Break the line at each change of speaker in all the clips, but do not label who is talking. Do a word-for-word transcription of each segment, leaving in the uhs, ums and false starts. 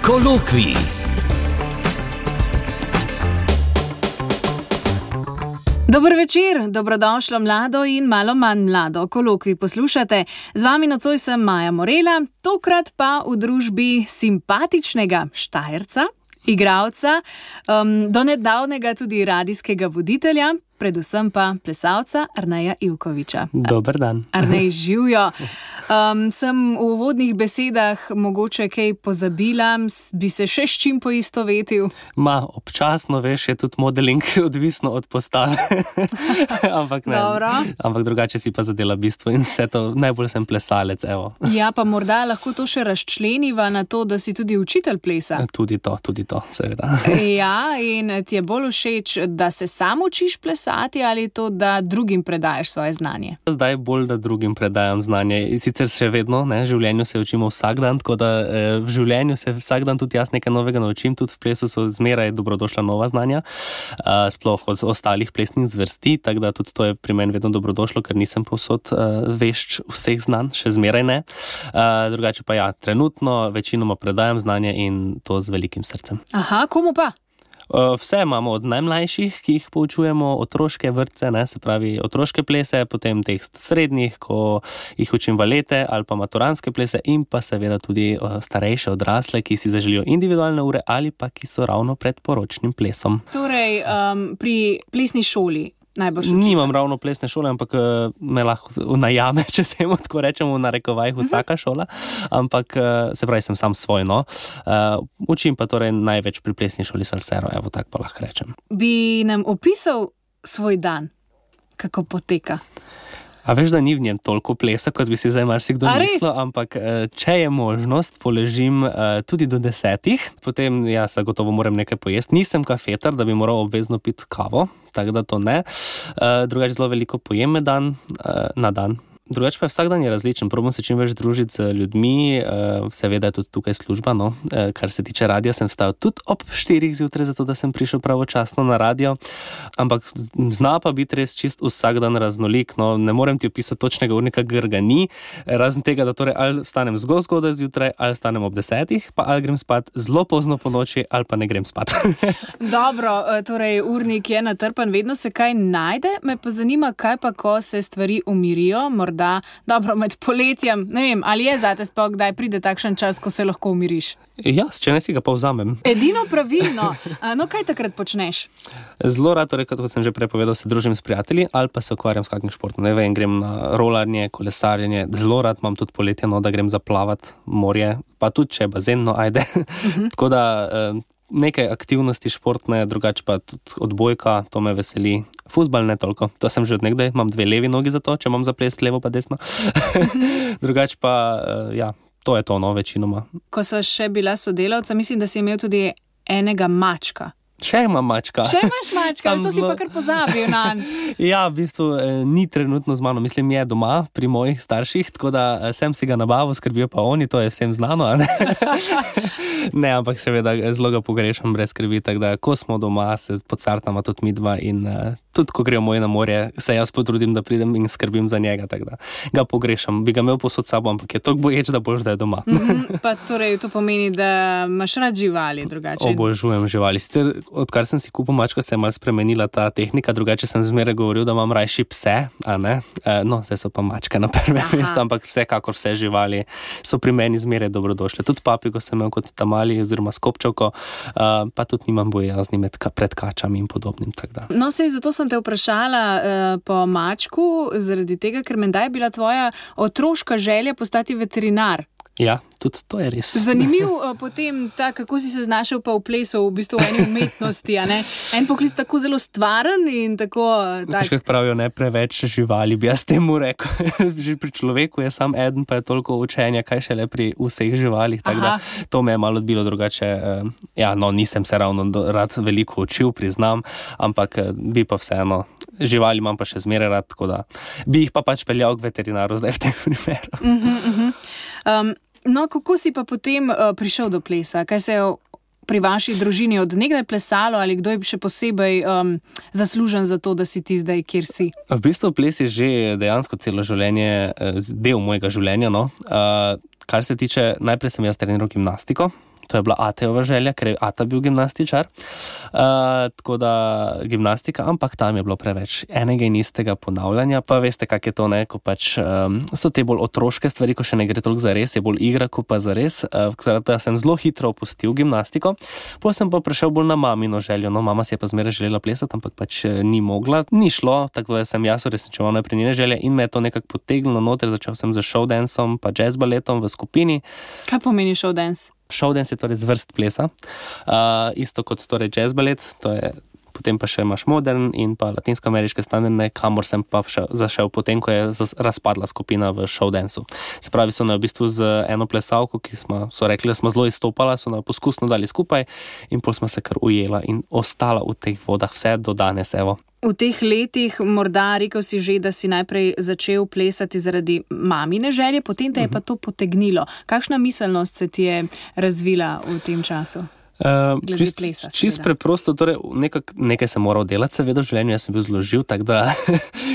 Kolokvij.
Dober večer, dobrodošlo mlado in malo manj mlado. Kolokvij poslušate. Z vami nocoj sem Maja Morela, tokrat pa v družbi simpatičnega Štajerca, igralca, um, do nedavnega tudi radijskega voditelja, predvsem pa plesalca Arneja Ivkoviča.
Dober dan.
Arnej, živjo. Um, sem v uvodnih besedah mogoče kaj pozabila, bi se še s čim poistovetil?
Ma, občasno, veš, je tudi modeling odvisno od postave. Ampak ne.
Dobro.
Ampak drugače si pa zadela bistvo in vse to, najbolj sem plesalec, evo.
Ja, pa morda lahko to še razčleniva na to, da si tudi učitelj plesa.
Tudi to, tudi to, seveda.
Ja, in ti je bolj všeč, da se sam učiš plesati ali to, da drugim predajaš svoje znanje?
Zdaj bolj, da drugim predajam znanje. Sicer še vedno, ne, v življenju se učimo vsak dan, tako da eh, v življenju se vsak dan tudi jaz nekaj novega naučim, tudi v plesu so zmeraj dobrodošla nova znanja, eh, sploh od ostalih plesnih zvrsti, tako da tudi to je pri meni vedno dobrodošlo, ker nisem povsod eh, vešč vseh znanj, še zmeraj ne. Eh, drugače pa ja, trenutno večinoma predajam znanje in to z velikim srcem.
Aha, komu pa?
Vse imamo od najmlajših, ki jih poučujemo, otroške vrtce, ne, se pravi otroške plese, potem teh srednjih, ko jih učim balete ali pa maturanske plese in pa seveda tudi starejše odrasle, ki si zaželijo individualne ure ali pa ki so ravno pred poročnim plesom.
Torej, um, pri plesni šoli najbolj učite?
Nimam ravno plesne šole, ampak me lahko najame, če temu tako rečemo v narekovajih vsaka šola, ampak se pravi, sem sam svoj, no. Uh, učim pa torej največ pri plesni šoli Salsero, evo tak pa lahko rečem.
Bi nam opisal svoj dan, kako poteka?
A veš, da ni v njem toliko plesa, kot bi si zdaj marsikdo mislil, ampak če je možnost, poležim tudi do desetih, potem jaz gotovo moram nekaj pojesti. Nisem kafetar, da bi moral obvezno piti kavo, tako da to ne. Drugače zelo veliko pojem dan, na dan. Drugače pa je vsak dan je različen, probam se čim več družiti z ljudmi, seveda je tudi tukaj služba, no, kar se tiče radija, sem vstal tudi ob štirih zjutraj, zato da sem prišel pravočasno na radio, ampak zna pa biti res čist vsak dan raznolik, no, ne morem ti opisati točnega urnika, ker ga ni, razen tega, da torej ali vstanem zelo zgodaj zjutraj, ali vstanem ob desetih, pa ali grem spat zelo pozno po noči, ali pa ne grem spat.
Dobro, torej urnik je natrpan, vedno se kaj najde, me pa zanima, kaj pa, ko se stvari umirijo, morda da, dobro, med poletjem, ne vem, ali je zate sploh, kdaj pride takšen čas, ko se lahko umiriš?
Ja, če ne si ga pa vzamem.
Edino pravilno. No, kaj takrat počneš?
Zelo rad, torej, kot sem že prepovedal, se družim s prijatelji ali pa se ukvarjam s kakšnim športom. Ne vem, grem na rolarjenje, kolesarjenje, zelo rad imam tudi poletje, no, da grem zaplavat morje, pa tudi če je bazen, no, ajde. Uh-huh. Tako da nekaj aktivnosti športne, drugače pa tudi odbojka, to me veseli. Fuzbal ne toliko, to sem že od nekdaj, imam dve levi nogi za to, če imam zaplest levo pa desno. Drugače pa, ja, to je to, no, večinoma.
Ko so še bila sodelavca, mislim, da si imel tudi enega mačka.
Še imam mačka.
Še imaš mačka, to si pa kar pozabil na.
Ja, v bistvu ni trenutno z mano, mislim, je doma pri mojih starših, tako da sem si ga nabavil, skrbijo pa oni, to je vsem znano, a ne? Ne, ampak seveda zelo ga pogrešam brez skrbi, tako da ko smo doma, se podcartama tudi midva in tudi ko grejo moji na morje, se jaz potrudim, da pridem in skrbim za njega, tako da ga pogrešam. Bi ga imel posod sabo, ampak je toliko boječ, da boš, da je doma.
Mm-hmm, pa torej to pomeni, da imaš rad živali drugače?
Obožujem živali. Sicer, odkar sem si kupil mačka, se je malo spremenila ta tehnika, drugače sem zmeraj govoril, da imam rajši pse, a ne? No, zdaj so pa mačke na prvem mestu, ampak vsekakor vse živali so pri meni zmeraj dobrodošle. Tudi papigo sem imel kot tamali oziroma skopčevko, pa tudi nimam bojazni pred kačami in podobnim, tako da.
No, sej, zato sem te vprašala uh, po mačku, zaradi tega, ker menda je bila tvoja otroška želja postati veterinar.
Ja, tudi to je res.
Zanimiv uh, potem ta, kako si se znašel pa v plesu, v bistvu v eni umetnosti, a ne? En poklic tako zelo stvaren in tako... Tak...
Kako pravijo, ne preveč živali, bi jaz temu rekel. Že pri človeku je sam eden, pa je toliko učenja, kaj šele pri vseh živalih, tako da to me je malo odbilo drugače. Uh, ja, no, nisem se ravno do, rad veliko učil, priznam, ampak uh, bi pa vseeno, živali imam pa še zmeraj rad, tako da bi jih pa pač peljal k veterinaru zdaj v tem primeru.
Uh-huh, uh-huh. Um, No, kako si pa potem uh, prišel do plesa? Kaj se je pri vaši družini od nekdaj plesalo ali kdo je še posebej um, zaslužen za to, da si ti zdaj, kjer si?
V bistvu ples je že dejansko celo življenje, del mojega življenja. No. Uh, kar se tiče, najprej sem jaz treniral gimnastiko, to je bila Atejova želja, ker je Ata bil gimnastičar. Uh, tako da gimnastika, ampak tam je bilo preveč enega in istega ponavljanja, pa veste, kak je to, ne, ko pač um, so te bolj otroške stvari, ko še ne gre toliko za res, je bolj igra, ko pa za res. Uh, da sem zelo hitro opustil gimnastiko, potem sem pa prišel bolj na mamino željo, no, mama si je pa zmeraj želela plesati, ampak pač ni mogla, ni šlo, tako da sem jaz uresničeval najprej njene želje in me je to nekako potegnilo noter, začel sem z showdanceom pa jazz baletom v skupini.
Kaj pomeni showdance?
Showdance je torej zvrst plesa, uh, isto kot torej jazz balet, to je, potem pa še imaš modern in pa latinsko-ameriške standardne, kamor sem pa še zašel potem, ko je razpadla skupina v showdanceu. Se pravi, so na v bistvu z eno plesalko, ki smo, so rekli, da smo zelo izstopala, so na poskusno dali skupaj in pol smo se kar ujela in ostala v teh vodah vse do danes, evo.
V teh letih, morda rekel si že, da si najprej začel plesati zaradi mamine želje, potem te je pa to potegnilo. Kakšna miselnost se ti je razvila v tem času?
Uh, čist, plesa, čist preprosto, torej nekak, nekaj sem moral delati, seveda v življenju, jaz sem bil zelo živ, tako da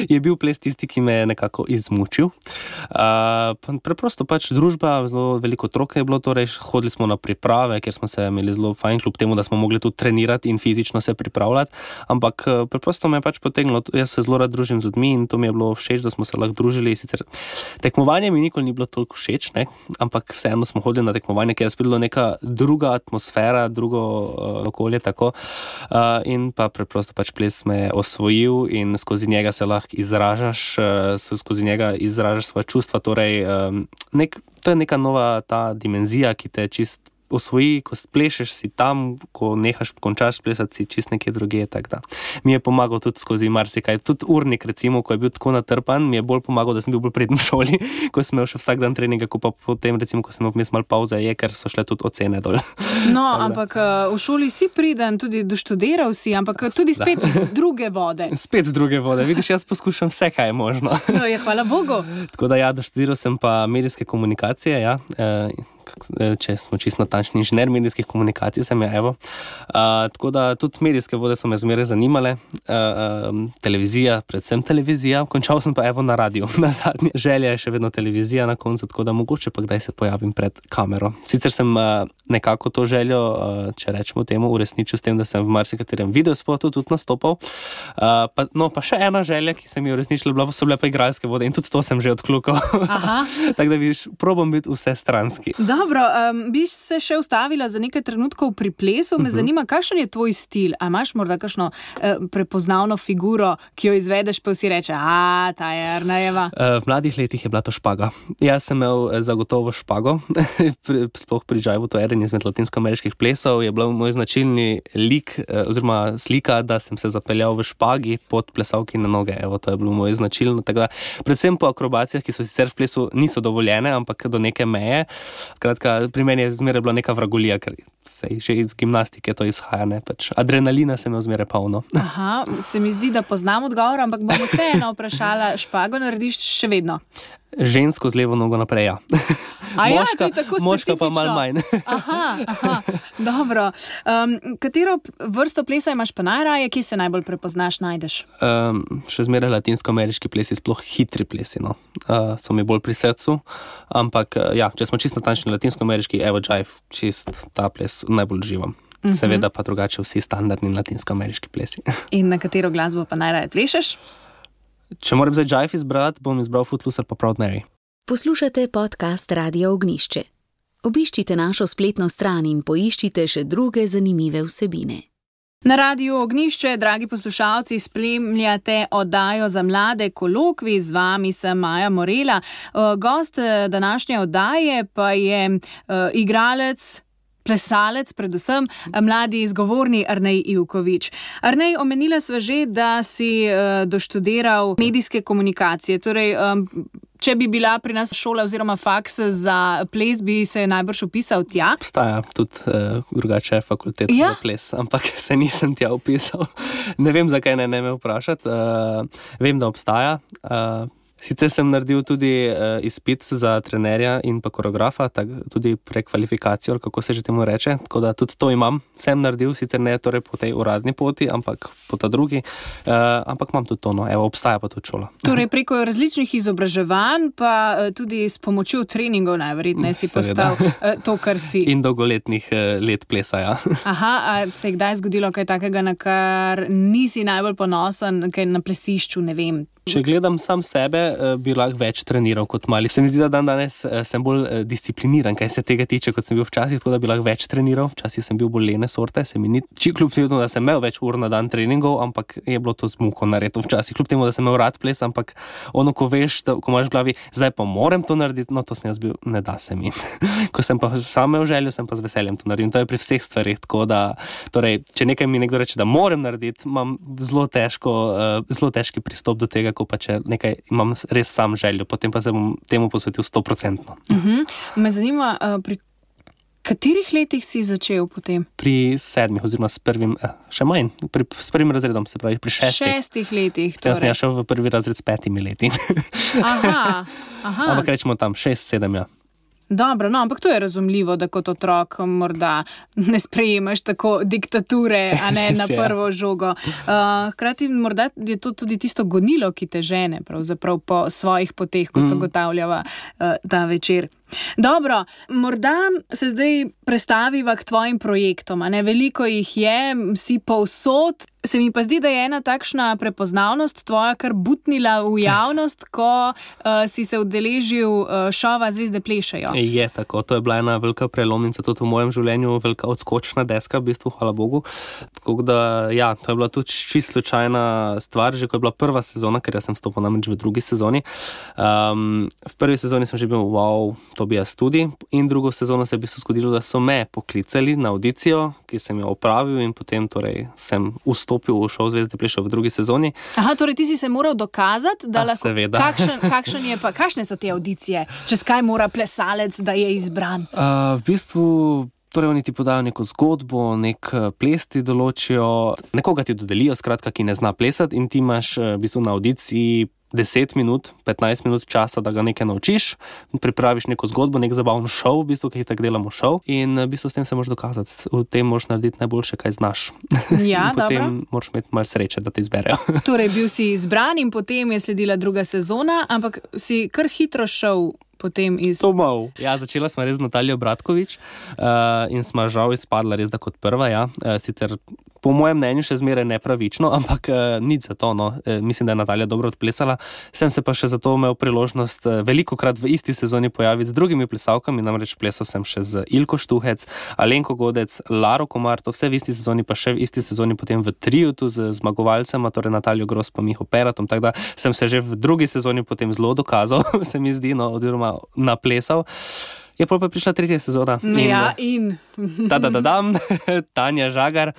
je bil ples tisti, ki me je nekako izmučil. Uh, preprosto pač družba, zelo veliko otrok je bilo, torej hodili smo na priprave, ker smo se imeli zelo fajn, kljub temu, da smo mogli tudi trenirati in fizično se pripravljati, ampak preprosto me je pač potegnilo, jaz se zelo rad družim z ljudmi in to mi je bilo všeč, da smo se lahko družili. Sicer tekmovanje mi nikoli ni bilo toliko všeč, ne? Ampak vseeno smo hodili na tekmovanje, ker je spet bila neka druga atmosfera, drugo uh, okolje, tako. Uh, in pa preprosto pač ples me je osvojil in skozi njega se lahko izražaš, uh, skozi njega izražaš svoje čustva, torej um, nek, to je neka nova ta dimenzija, ki te čist osvoji, ko splešeš si tam, ko nehaš, končaš plesati, si čist nekje drugje, tako da. Mi je pomagal tudi skozi marsikaj, tudi urnik recimo, ko je bil tako natrpan, mi je bolj pomagal, da sem bil bolj preden v šoli, ko sem imel še vsak dan treninga, ko pa potem recimo, ko sem imel vmes malo pauze, je, ker so šle tudi ocene dol.
No, ampak v šoli si priden, tudi doštudiral si, ampak tudi spet druge vode.
Spet druge vode, vidiš, jaz poskušam vse, kaj je možno.
No, je, hvala Bogu.
Tako da ja, doštudiral sem pa medijske komunikacije, ja, e, če smo čisto natančni, inženir medijskih komunikacij sem je, evo. Uh, tako da tudi medijske vode so me zmeraj zanimale, uh, um, televizija, predvsem televizija, končal sem pa evo na radiju, na zadnje. Želja je še vedno televizija na koncu, tako da mogoče pa kdaj se pojavim pred kamero. Sicer sem uh, nekako to željo, uh, če rečemo temu, uresničil s tem, da sem v marsikaterem videospotu tudi nastopal. Uh, pa, no, pa še ena želja, ki sem jo uresničil, so bile pa igralske vode in tudi to sem že odklukal. Tako da vidiš, probam biti vse stranski.
Dobro, um, bi se še ustavila za nekaj trenutkov pri plesu. Me uh-huh. zanima, kakšen je tvoj stil? A imaš morda kakšno uh, prepoznavno figuro, ki jo izvedeš, pa vsi reče, a, ta je Arnejeva?
Uh, v mladih letih je bila to špaga. Jaz sem imel zagotovo špago, sploh pri džajvu, to je eden izmed latinsko-ameriških plesov, je bil moj značilni lik, uh, oziroma slika, da sem se zapeljal v špagi pod plesalki na noge. Evo, to je bilo moj značilno. Tako da, predvsem po akrobacijah, ki so sicer v plesu niso dovoljene, ampak do neke meje. Kratka, pri meni je zmeraj bila neka vragolija, ker se že iz gimnastike to izhaja, ne, pač adrenalina se me zmeraj polno.
Aha, se mi zdi, da poznam odgovor, ampak bom vseeno vprašala, špago narediš še vedno?
Žensko z levo nogo naprej, ja.
A ja, moška, to je tako specifično.
Moška pa malo manj.
Aha, aha, dobro. Um, katero vrsto plesa imaš pa najraje, ki se najbolj prepoznaš, najdeš?
Um, še zmeraj latinsko-ameriški plesi, sploh hitri plesi, no. Uh, so mi bolj pri srcu, ampak uh, ja, če smo čisto natančni latinsko-ameriški, evo jive, čist ta ples najbolj uživam. Uh-huh. Seveda pa drugače vsi standardni latinsko-ameriški plesi.
In na katero glasbo pa najraje plešeš?
Če moram zdaj jive izbrati, bom izbral Footloose ali pa Proud Mary.
Poslušate podcast Radio Ognjišče. Obiščite našo spletno stran in poiščite še druge zanimive vsebine.
Na Radiu Ognjišče, dragi poslušalci, spremljate oddajo za mlade Kolokvi, z vami sem Maja Morela. Gost današnje oddaje pa je uh, igralec, plesalec, predvsem mladi izgovorni Arnej Ivković. Arnej, omenila sva že, da si uh, doštudiral medijske komunikacije. Torej, um, če bi bila pri nas šola oziroma faks za ples, bi se najbrž upisal tja?
Obstaja tudi uh, drugače fakulteta ja? za ples, ampak se nisem tja upisal. Ne vem, zakaj ne, ne me vprašati. Uh, vem, da obstaja. Uh, Sicer sem naredil tudi uh, izpit za trenerja in pa koreografa, tak, tudi prekvalifikacijo, kako se že temu reče, tako da tudi to imam, sem naredil, sicer ne torej po tej uradni poti, ampak po ta drugi, uh, ampak imam tudi to, no, evo, obstaja pa tudi šola.
Torej preko različnih izobraževanj, pa uh, tudi s pomočjo treningov najverjetneje si postal uh, to, kar si.
In dolgoletnih uh, let plesa, ja.
Aha, a se je kdaj zgodilo kaj takega, na kar nisi najbolj ponosen, kaj na plesišču, ne vem?
Če gledam sam sebe, bi lahko več treniral kot mali. Se mi zdi, da dan danes sem bolj discipliniran, kaj se tega tiče, kot sem bil včasih, tako da bi lahko več treniral. Včasih sem bil bolj lene sorte, se mi ni kljub temu, da sem imel več ur na dan treningov, ampak je bilo to z muko narediti včasih. Kljub temu, da sem imel rad ples, ampak ono, ko veš, da, ko imaš v glavi, zdaj pa moram to narediti, no to sem jaz bil, ne da se mi. Ko sem pa sam imel željo, sem pa z veseljem to naredil. To je pri vseh stvarih, tako da, torej, če nekaj mi nekdo reče, da moram narediti, imam zelo težko, zelo težki pristop do tega, ko pa če nekaj imam res sam željo, potem pa se bom temu posvetil sto procentno.
Uh-huh. Me zanima, pri katerih letih si začel potem?
Pri sedmih, oziroma s prvim, še manj, pri, s prvim razredom, se pravi, pri šestih.
Šestih letih,
torej. Jaz sem šel v prvi razred s petimi leti.
Aha, aha.
Ampak rečemo tam šest, sedem, ja.
Dobro, no, ampak to je razumljivo, da kot otrok morda ne sprejemaš tako diktature, a ne na prvo žogo. Uh, hkrati morda je to tudi tisto gonilo, ki te žene pravzaprav po svojih poteh, kot mm. ugotavljava uh, ta večer. Dobro, morda se zdaj prestaviva k tvojim projektom, a ne, veliko jih je, si povsod. Se mi pa zdi, da je ena takšna prepoznavnost tvoja kar butnila v javnost, ko uh, si se udeležil uh, šova Zvezde plešejo.
Je tako, to je bila ena velika prelomnica tudi v mojem življenju, velika odskočna deska, v bistvu, hvala Bogu. Tako da, ja, to je bila tudi čisto slučajna stvar, že ko je bila prva sezona, ker jaz sem vstopil namreč v drugi sezoni. Um, v prvi sezoni sem že bil, wow, to bi jaz tudi. In drugo sezono se je v bistvu zgodilo, da so me poklicali na audicijo, ki sem jo opravil in potem torej sem vstopil v šov Zvezde plešejo v drugi sezoni.
Aha, torej ti si se moral dokazati, da
A,
lahko...
seveda.
Kakšen, kakšen je pa, kakšne so te audicije? Čez kaj mora plesalec, da je izbran?
Uh, v bistvu... Torej, oni ti podajo neko zgodbo, nek ples ti določijo, nekoga ti dodelijo, skratka, ki ne zna plesati in ti imaš v bistvu na audiciji deset minut, petnajst minut časa, da ga nekaj naučiš, pripraviš neko zgodbo, nek zabavno šov, v bistvu, ki tako delamo šov in v bistvu s tem se moraš dokazati. V tem moraš narediti najboljše, kaj znaš.
Ja,
in potem
dobro.
Moraš imeti malo sreče, da te izberejo.
Torej, bil si izbran in potem je sledila druga sezona, ampak si kar hitro šel potem iz...
To mal. Ja, začela smo res z Natalijo Bratkovič uh, in smo žal izpadla res da kot prva, ja. Uh, sicer po mojem mnenju še zmeraj nepravično, ampak uh, nič za to, no. Uh, mislim, da je Natalija dobro odplesala. Sem se pa še zato imel priložnost uh, velikokrat v isti sezoni pojaviti z drugimi plesalkami, namreč plesal sem še z Ilko Štuhec, Alenko Godec, Laro Komar, to vse v isti sezoni, pa še v isti sezoni potem v triu tu z zmagovalcema, torej Natalijo Gros pa Miho Peratom, tako da sem se že v drugi sezoni potem zelo dokazal, se mi zdi, no, oziroma naplesal. Je pa prišla tretja sezona.
Ja, in...
Ta-da-da-dam, Tanja Žagar,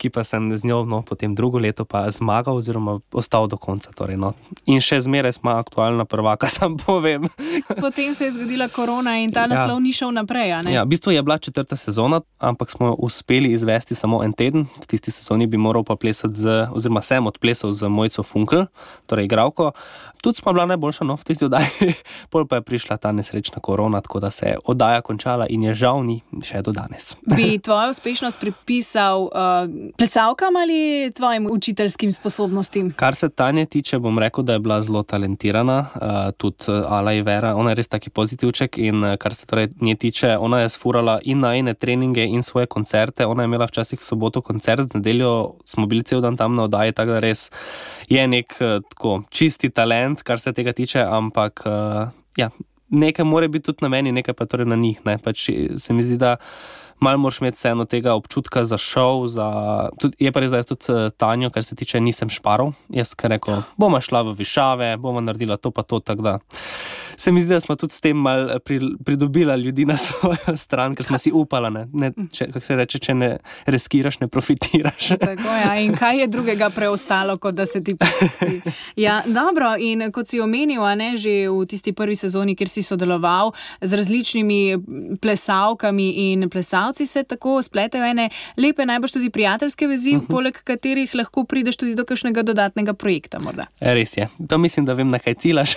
ki pa sem z njo, no, potem drugo leto pa zmagal oziroma ostal do konca. Torej, no. In še zmeraj smo aktualna prvaka, sam povem.
Potem se je zgodila korona in ta naslov ja. Ni šel naprej, a ne?
Ja, v bistvu je bila četrta sezona, ampak smo uspeli izvesti samo en teden. V tisti sezoni bi moral pa plesati z, oziroma sem odplesal z Mojco Funkl, torej igralko. Tudi smo bila najboljša, no, v tisti oddaji. Pol pa je prišla ta nesrečna korona, tako da se je oddaja končala in je žal ni še do danes.
Bi tvojo uspešnost pripisal uh, plesalkam ali tvojim učiteljskim sposobnostim?
Kar se Tanje tiče, bom rekel, da je bila zelo talentirana, uh, tudi Ala Ivera, ona je res taki pozitivček in uh, kar se torej nje tiče, ona je sfurala in najine treninge in svoje koncerte, ona je imela včasih soboto koncert, v nedeljo smo bili cel dan tam na oddaji, tako da res je nek uh, tako čisti talent, kar se tega tiče, ampak uh, ja, nekaj mora biti tudi na meni, nekaj pa torej na njih, ne, pač se mi zdi, da malo moraš imeti vseeno tega občutka za šov, za... Tud, je pa res, da je tudi Tanjo, kar se tiče, nisem šparov, jaz kar rekel, boma šla v višave, boma naredila to pa to, tako da se mi zdi, da smo tudi s tem mal pridobila ljudi na svojo stran, ker smo si upala, ne, ne če, kako se reče, če ne riskiraš, ne profitiraš.
Tako, ja. In kaj je drugega preostalo, kot da se ti pusti? Ja, dobro, in kot si omenil, a ne, že v tisti prvi sezoni, kjer si sodeloval z različnimi plesavkami in plesalci, se tako spletajo ene lepe, najbolj tudi prijateljske vezi, uh-huh. poleg katerih lahko prideš tudi do kakšnega dodatnega projekta morda.
Res je. To mislim, da vem, na kaj cilaš.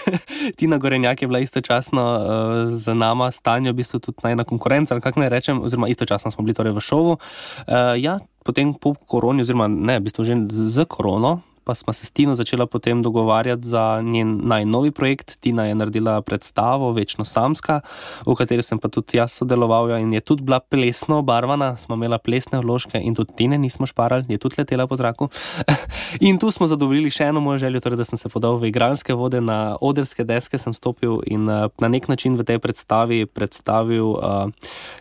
Tina Gorenjak je bila istočasno uh, z nama, Stanjo, v bistvu tudi najna konkurenca, ali kako naj rečem, oziroma istočasno smo bili torej v šovu. Uh, ja, potem po koroni, oziroma ne, v bistvu že z korono, pa smo se s Tino začela potem dogovarjati za njen najnovi projekt. Tina je naredila predstavo Večno samska, v kateri sem pa tudi jaz sodeloval in je tudi bila plesno obarvana, smo imela plesne vložke in tudi Tine nismo šparali, je tudi letela po zraku. In tu smo zadovoljili še eno mojo željo, torej da sem se podal v igralske vode, na odrske deske sem stopil in uh, na nek način v tej predstavi predstavil uh,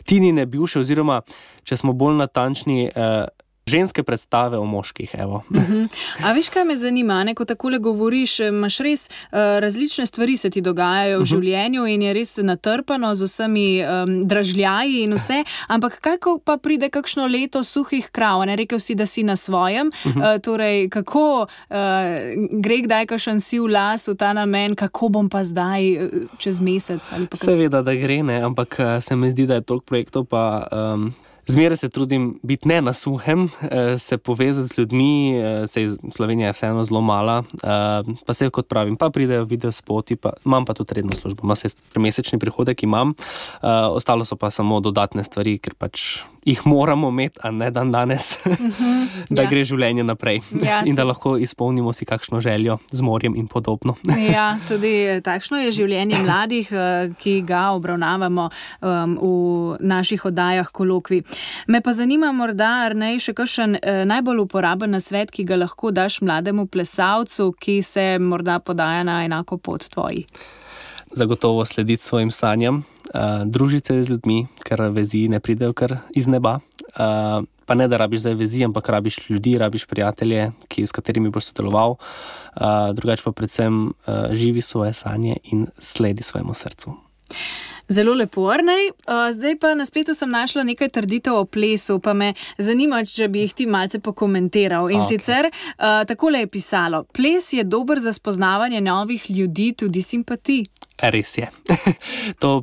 Tinine bivše, oziroma, če smo bolj natančni, uh, ženske predstave o moških, evo.
Uh-huh. A veš, kaj me zanima, ne, ko takole govoriš, imaš res uh, različne stvari se ti dogajajo v uh-huh. življenju in je res natrpano z vsemi um, dražljaji in vse, ampak kako pa pride kakšno leto suhih krav, ne, rekel si, da si na svojem, uh-huh. uh, torej, kako uh, gre kdaj kakšen siv las v ta namen, kako bom pa zdaj uh, čez mesec? Ali pa
Seveda, da gre, ne, ampak uh, se mi zdi, da je toliko projektov pa... Um... Zmeraj se trudim biti ne na suhem, se povezati z ljudmi, sej Slovenija je vseeno zelo mala, pa se kot pravim, pa pridejo videospoti, pa imam pa tudi redno službo, no, sej trimesečni prihodek imam, ostalo so pa samo dodatne stvari, ker pač jih moramo imeti, a ne dan danes, uh-huh, da ja. Gre življenje naprej ja, in da lahko izpolnimo si kakšno željo z morjem in podobno.
Ja, tudi takšno je življenje mladih, ki ga obravnavamo um, v naših oddajah Kolokvij. Me pa zanima morda, Arnej, še kakšen eh, najbolj uporaben nasvet, ki ga lahko daš mlademu plesalcu, ki se morda podaja na enako pot tvoji.
Zagotovo slediti svojim sanjam, uh, družiti se z ljudmi, ker vezi ne pridejo kar iz neba. Uh, pa ne, da rabiš zdaj vezi, ampak rabiš ljudi, rabiš prijatelje, ki, s katerimi boš sodeloval. Uh, drugače pa predvsem uh, živi svoje sanje in sledi svojemu srcu.
Zelo lepo, Arnej. Zdaj pa na spletu sem našla nekaj trditev o plesu, pa me zanima, če bi jih ti malce pokomentiral. In okay. sicer, uh, takole je pisalo, ples je dober za spoznavanje novih ljudi, tudi simpatij.
Res je. To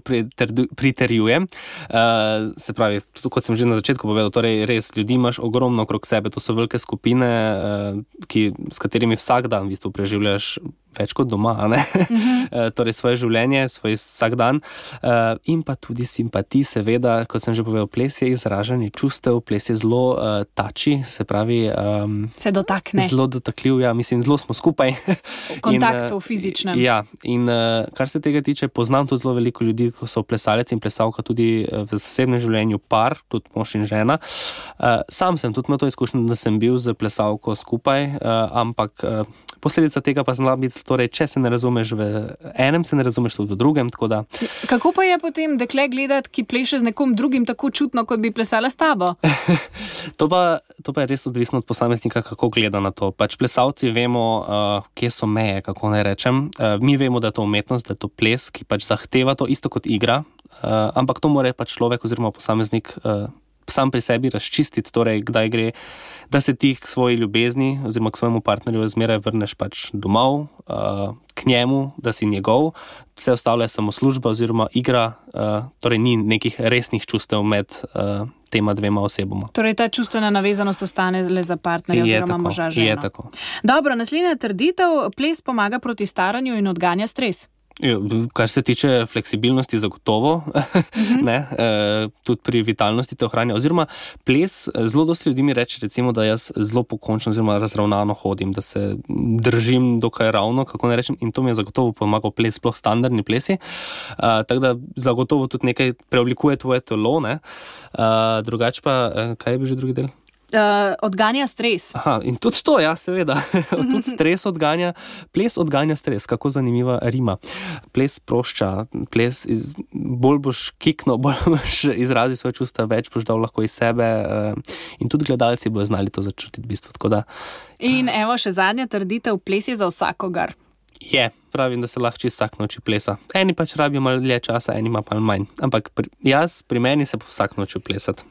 pritrjujem. Uh, se pravi, tudi kot sem že na začetku povedal, torej res ljudi imaš ogromno okrog sebe, to so velike skupine, uh, ki, s katerimi vsak dan v bistvu preživljaš več kot doma, a ne? Uh-huh. uh, torej svoje življenje, svoj vsak dan. Uh, in pa tudi simpatij, seveda, kot sem že povedal, ples je izražanje čustev, ples je zelo uh, tači, se pravi... Um,
se dotakne.
Zelo dotakljiv, ja, mislim, zelo smo skupaj.
V kontaktu, in, uh, fizičnem.
Ja, in uh, kar se tega tiče, poznam tudi zelo veliko ljudi, ko so plesalec in plesalka tudi v zasebnem življenju par, tudi mož in žena. Uh, sam sem tudi imel to izkušnjo, da sem bil z plesalko skupaj, uh, ampak uh, posledica tega pa znala biti, torej, če se ne razumeš v enem, se ne razumeš tudi v drugem, tako da...
Kako pa je potem dekle gledati, ki pleše z nekom drugim tako čutno, kot bi plesala s tabo?
to, pa, to pa je res odvisno od posameznika, kako gleda na to. Pač plesalci vemo, uh, kje so meje, kako naj rečem. Uh, mi vemo, da je to umetnost, da je to ples, ki pač zahteva to isto kot igra, uh, ampak to mora pač človek oziroma posameznik uh, sam pri sebi razčistiti, torej kdaj gre, da se ti k svoji ljubezni oziroma k svojemu partnerju zmeraj vrneš pač domov, uh, k njemu, da si njegov, vse ostalo je samo služba oziroma igra, uh, torej ni nekih resnih čustev med uh, tema dvema osebama.
Torej ta čustvena navezanost ostane le za partnerja oziroma moža ženo.
Je tako.
Dobro, naslednja trditev, ples pomaga proti staranju in odganja stres.
Kar se tiče fleksibilnosti, zagotovo, uh-huh. ne, e, tudi pri vitalnosti te ohranja. Oziroma, ples, zelo dosti ljudi mi reče, recimo, da jaz zelo pokončno oziroma razravnano hodim, da se držim dokaj ravno, kako ne rečem, in to mi je zagotovo pomagal ples, sploh standardni plesi. E, tako da zagotovo tudi nekaj preoblikuje tvoje telo, ne. E, drugače pa, kaj je bil že drugi del?
Uh, odganja stres.
Aha, in tudi to, ja, seveda. Tudi stres odganja, ples odganja stres, kako zanimiva rima. Ples sprošča, ples iz, bolj boš kikno, bolj boš izrazil svoje čustva, več boš dal lahko iz sebe uh, in tudi gledalci bojo znali to začutiti v bistvu, tako da...
In evo še zadnja trditev, ples je za vsakogar.
Je, pravim, da se lahko čisto vsak noč plesa. Eni pač rabijo malo dlje časa, eni ima pa manj. Ampak pri, jaz, pri meni se pa vsak noč plesati.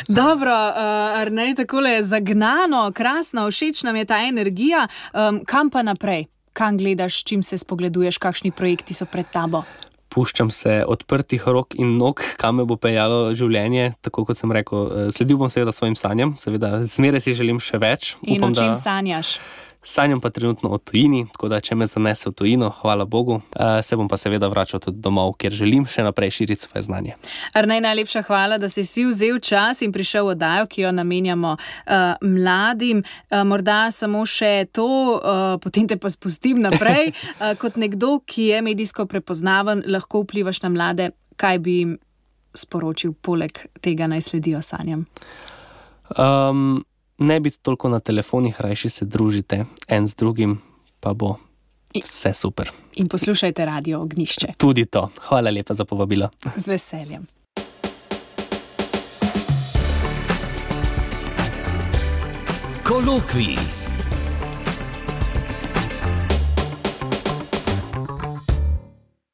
Dobro, uh, Arnej, takole je zagnano, krasno, všeč nam je ta energija. Um, kam pa naprej? Kam gledaš, čim se spogleduješ, kakšni projekti so pred tabo?
Puščam se odprtih rok in nog, kam me bo peljalo življenje. Tako kot sem rekel, sledil bom seveda svojim sanjam, seveda zmeraj si želim še več.
In
Upam,
o čem
da...
sanjaš?
Sanjam pa trenutno o tujini, tako da če me zanese v tujino, hvala Bogu, se bom pa seveda vračal tudi domov, kjer želim še naprej širiti svoje znanje.
Arnej, najlepša hvala, da si si vzel čas in prišel v oddajo, ki jo namenjamo uh, mladim. Uh, morda samo še to, uh, potem te pa spustim naprej. Uh, kot nekdo, ki je medijsko prepoznaven, lahko vplivaš na mlade, kaj bi jim sporočil poleg tega, naj sledijo sanjam?
Um, Ne biti toliko na telefonih, rajši se družite en z drugim, pa bo vse super.
In poslušajte Radio Ognjišče.
Tudi to. Hvala lepa za povabilo.
Z veseljem.
Kolokvij.